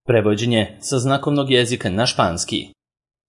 Prevođenje sa znakovnog jezika na španski.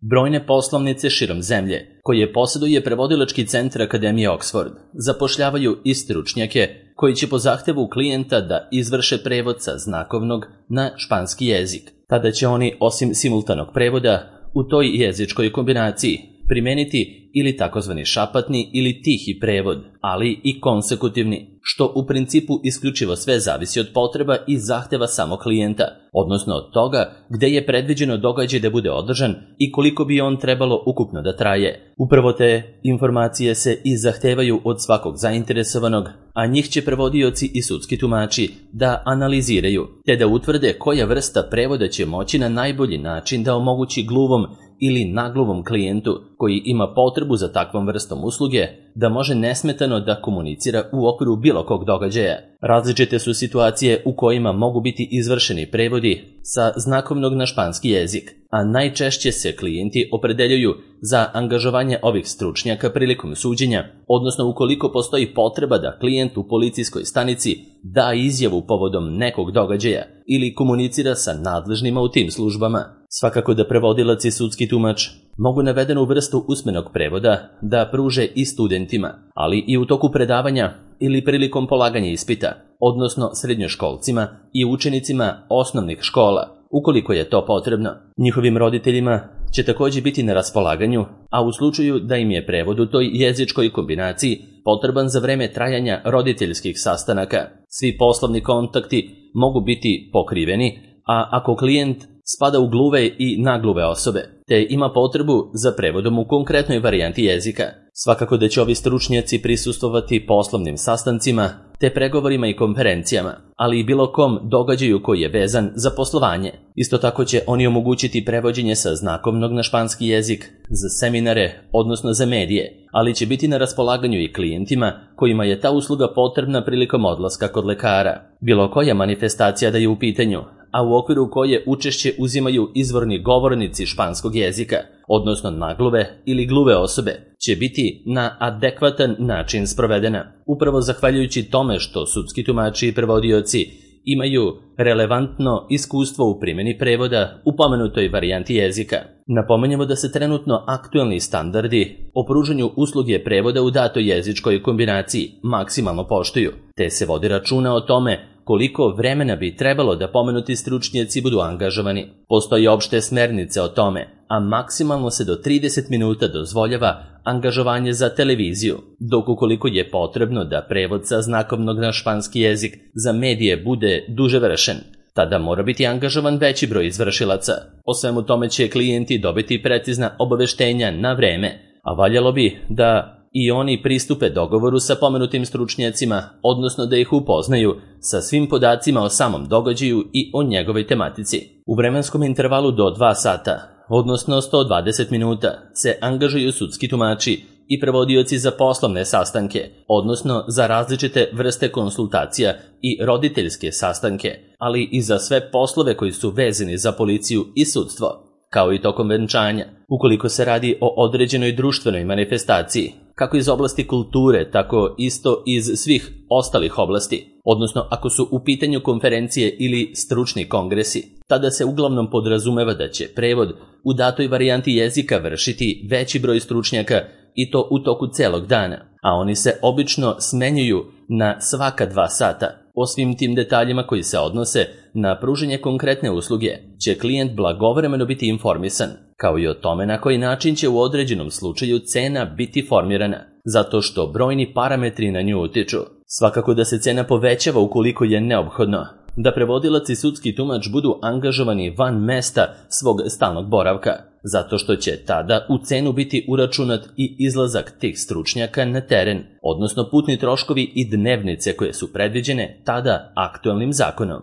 Brojne poslovnice širom zemlje, koje posjeduje prevodilački centar Akademije Oxford, zapošljavaju i stručnjake koji će po zahtevu klijenta da izvrše prevod sa znakovnog na španski jezik. Tada će oni, osim simultanog prevoda, u toj jezičkoj kombinaciji primeniti ili takozvani šapatni ili tihi prevod, ali i konsekutivni, što u principu isključivo sve zavisi od potreba i zahteva samog klijenta, odnosno od toga gde je predviđeno događaj da bude održan i koliko bi on trebalo ukupno da traje. Upravo te informacije se i zahtevaju od svakog zainteresovanog, a njih će prevodioci i sudski tumači da analiziraju, te da utvrde koja vrsta prevoda će moći na najbolji način da omogući gluvom ili nagluvom klijentu koji ima potrebu za takvom vrstom usluge da može nesmetano da komunicira u okviru bilo kog događaja. Različite su situacije u kojima mogu biti izvršeni prevodi sa znakovnog na španski jezik, a najčešće se klijenti opredeljuju za angažovanje ovih stručnjaka prilikom suđenja, odnosno ukoliko postoji potreba da klijent u policijskoj stanici da izjavu povodom nekog događaja ili komunicira sa nadležnima u tim službama. Svakako da prevodilac i sudski tumač mogu navedenu vrstu usmenog prevoda da pruže i studentima, ali i u toku predavanja ili prilikom polaganja ispita, odnosno srednjoškolcima i učenicima osnovnih škola, ukoliko je to potrebno. Njihovim roditeljima će također biti na raspolaganju, a u slučaju da im je prevod u toj jezičkoj kombinaciji potreban za vreme trajanja roditeljskih sastanaka. Svi poslovni kontakti mogu biti pokriveni, a ako klijent spada u gluve i nagluve osobe, te ima potrebu za prevodom u konkretnoj varijanti jezika. Svakako da će ovi stručnjaci prisustvovati poslovnim sastancima, te pregovorima i konferencijama, ali i bilo kom događaju koji je vezan za poslovanje. Isto tako će oni omogućiti prevođenje sa znakovnog na španski jezik za seminare, odnosno za medije, ali će biti na raspolaganju i klijentima kojima je ta usluga potrebna prilikom odlaska kod lekara. Bilo koja manifestacija da je u pitanju, a u okviru koje učešće uzimaju izvorni govornici španskog jezika, odnosno nagluve ili gluve osobe, će biti na adekvatan način sprovedena, upravo zahvaljujući tome što sudski tumači i prevodioci imaju relevantno iskustvo u primjeni prevoda u pomenutoj varijanti jezika. Napomenjamo da se trenutno aktuelni standardi o pružanju usluge prevoda u datoj jezičkoj kombinaciji maksimalno poštuju, te se vodi računa o tome koliko vremena bi trebalo da pomenuti stručnjaci budu angažovani. Postoje opšte smernice o tome, a maksimalno se do 30 minuta dozvoljava angažovanje za televiziju, dok ukoliko je potrebno da prevod sa znakovnog na španski jezik za medije bude duže vršen, tada mora biti angažovan veći broj izvršilaca. O svemu tome će klijenti dobiti precizna obaveštenja na vreme, a valjalo bi da i oni pristupe dogovoru sa pomenutim stručnjacima, odnosno da ih upoznaju sa svim podacima o samom događaju i o njegovoj tematici. U vremenskom intervalu do 2 sata, odnosno 120 minuta, se angažuju sudski tumači i prevodioci za poslovne sastanke, odnosno za različite vrste konsultacija i roditeljske sastanke, ali i za sve poslove koji su vezani za policiju i sudstvo, kao i tokom venčanja, ukoliko se radi o određenoj društvenoj manifestaciji, kako iz oblasti kulture, tako isto iz svih ostalih oblasti, odnosno ako su u pitanju konferencije ili stručni kongresi, tada se uglavnom podrazumeva da će prevod u datoj varijanti jezika vršiti veći broj stručnjaka i to u toku celog dana, a oni se obično smenjuju na svaka 2 sata. O svim tim detaljima koji se odnose na pružanje konkretne usluge će klijent blagovremeno biti informisan, kao i o tome na koji način će u određenom slučaju cena biti formirana, zato što brojni parametri na nju utiču. Svakako da se cena povećava ukoliko je neophodno da prevodilac i sudski tumač budu angažovani van mesta svog stalnog boravka, zato što će tada u cenu biti uračunat i izlazak tih stručnjaka na teren, odnosno putni troškovi i dnevnice koje su predviđene tada aktuelnim zakonom.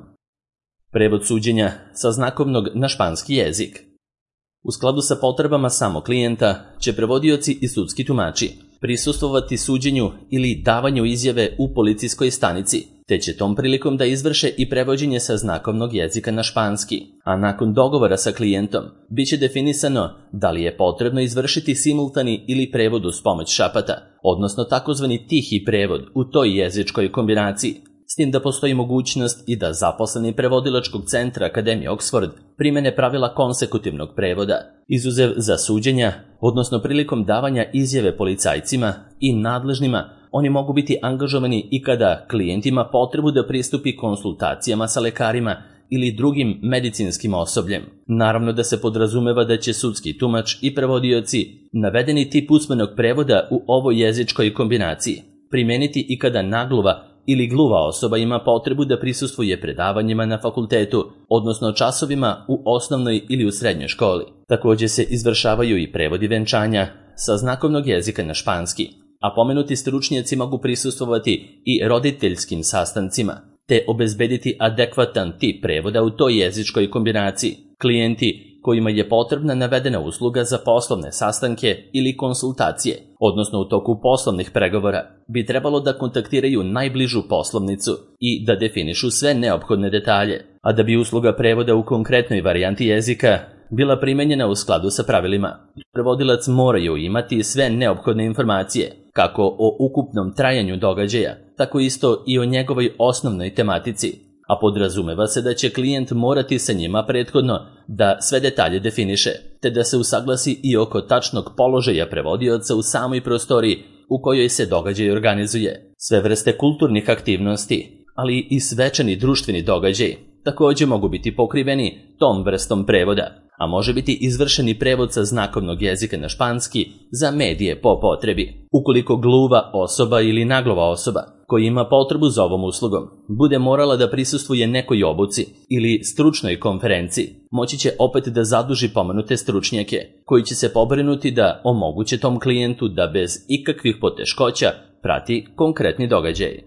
Prevod suđenja sa znakovnog na španski jezik. U skladu sa potrebama samog klijenta će prevodioci i sudski tumači prisustvovati suđenju ili davanju izjave u policijskoj stanici, te će tom prilikom da izvrše i prevođenje sa znakovnog jezika na španski, a nakon dogovora sa klijentom biće definisano da li je potrebno izvršiti simultani ili prevod uz pomoć šapata, odnosno takozvani tihi prevod u toj jezičkoj kombinaciji, s tim da postoji mogućnost i da zaposleni prevodilačkog centra Akademije Oxford primene pravila konsekutivnog prevoda, izuzev za suđenja, odnosno prilikom davanja izjave policajcima i nadležnima, oni mogu biti angažovani i kada klijent ima potrebu da pristupi konsultacijama sa lekarima ili drugim medicinskim osobljem. Naravno da se podrazumeva da će sudski tumač i prevodioci navedeni tip usmenog prevoda u ovoj jezičkoj kombinaciji primeniti i kada nagluva ili gluva osoba ima potrebu da prisustvuje predavanjima na fakultetu, odnosno časovima u osnovnoj ili u srednjoj školi. Također se izvršavaju i prevodi venčanja sa znakovnog jezika na španski, a pomenuti stručnjaci mogu prisustvovati i roditeljskim sastancima, te obezbediti adekvatan tip prevoda u toj jezičkoj kombinaciji. Klijenti kojima je potrebna navedena usluga za poslovne sastanke ili konsultacije, odnosno u toku poslovnih pregovora, bi trebalo da kontaktiraju najbližu poslovnicu i da definišu sve neophodne detalje, a da bi usluga prevoda u konkretnoj varijanti jezika bila primenjena u skladu sa pravilima. Prevodilac moraju imati sve neophodne informacije, kako o ukupnom trajanju događaja, tako isto i o njegovoj osnovnoj tematici, a podrazumeva se da će klijent morati sa njima prethodno da sve detalje definiše, te da se usaglasi i oko tačnog položaja prevodioca u samoj prostoriji u kojoj se događaj organizuje. Sve vrste kulturnih aktivnosti, ali i svečani društveni događaj, također mogu biti pokriveni tom vrstom prevoda, a može biti izvršeni prevod sa znakovnog jezika na španski za medije po potrebi. Ukoliko gluva osoba ili naglova osoba koja ima potrebu za ovom uslugom bude morala da prisustvuje nekoj obuci ili stručnoj konferenciji, moći će opet da zaduži pomenute stručnjake koji će se pobrinuti da omoguće tom klijentu da bez ikakvih poteškoća prati konkretni događaj.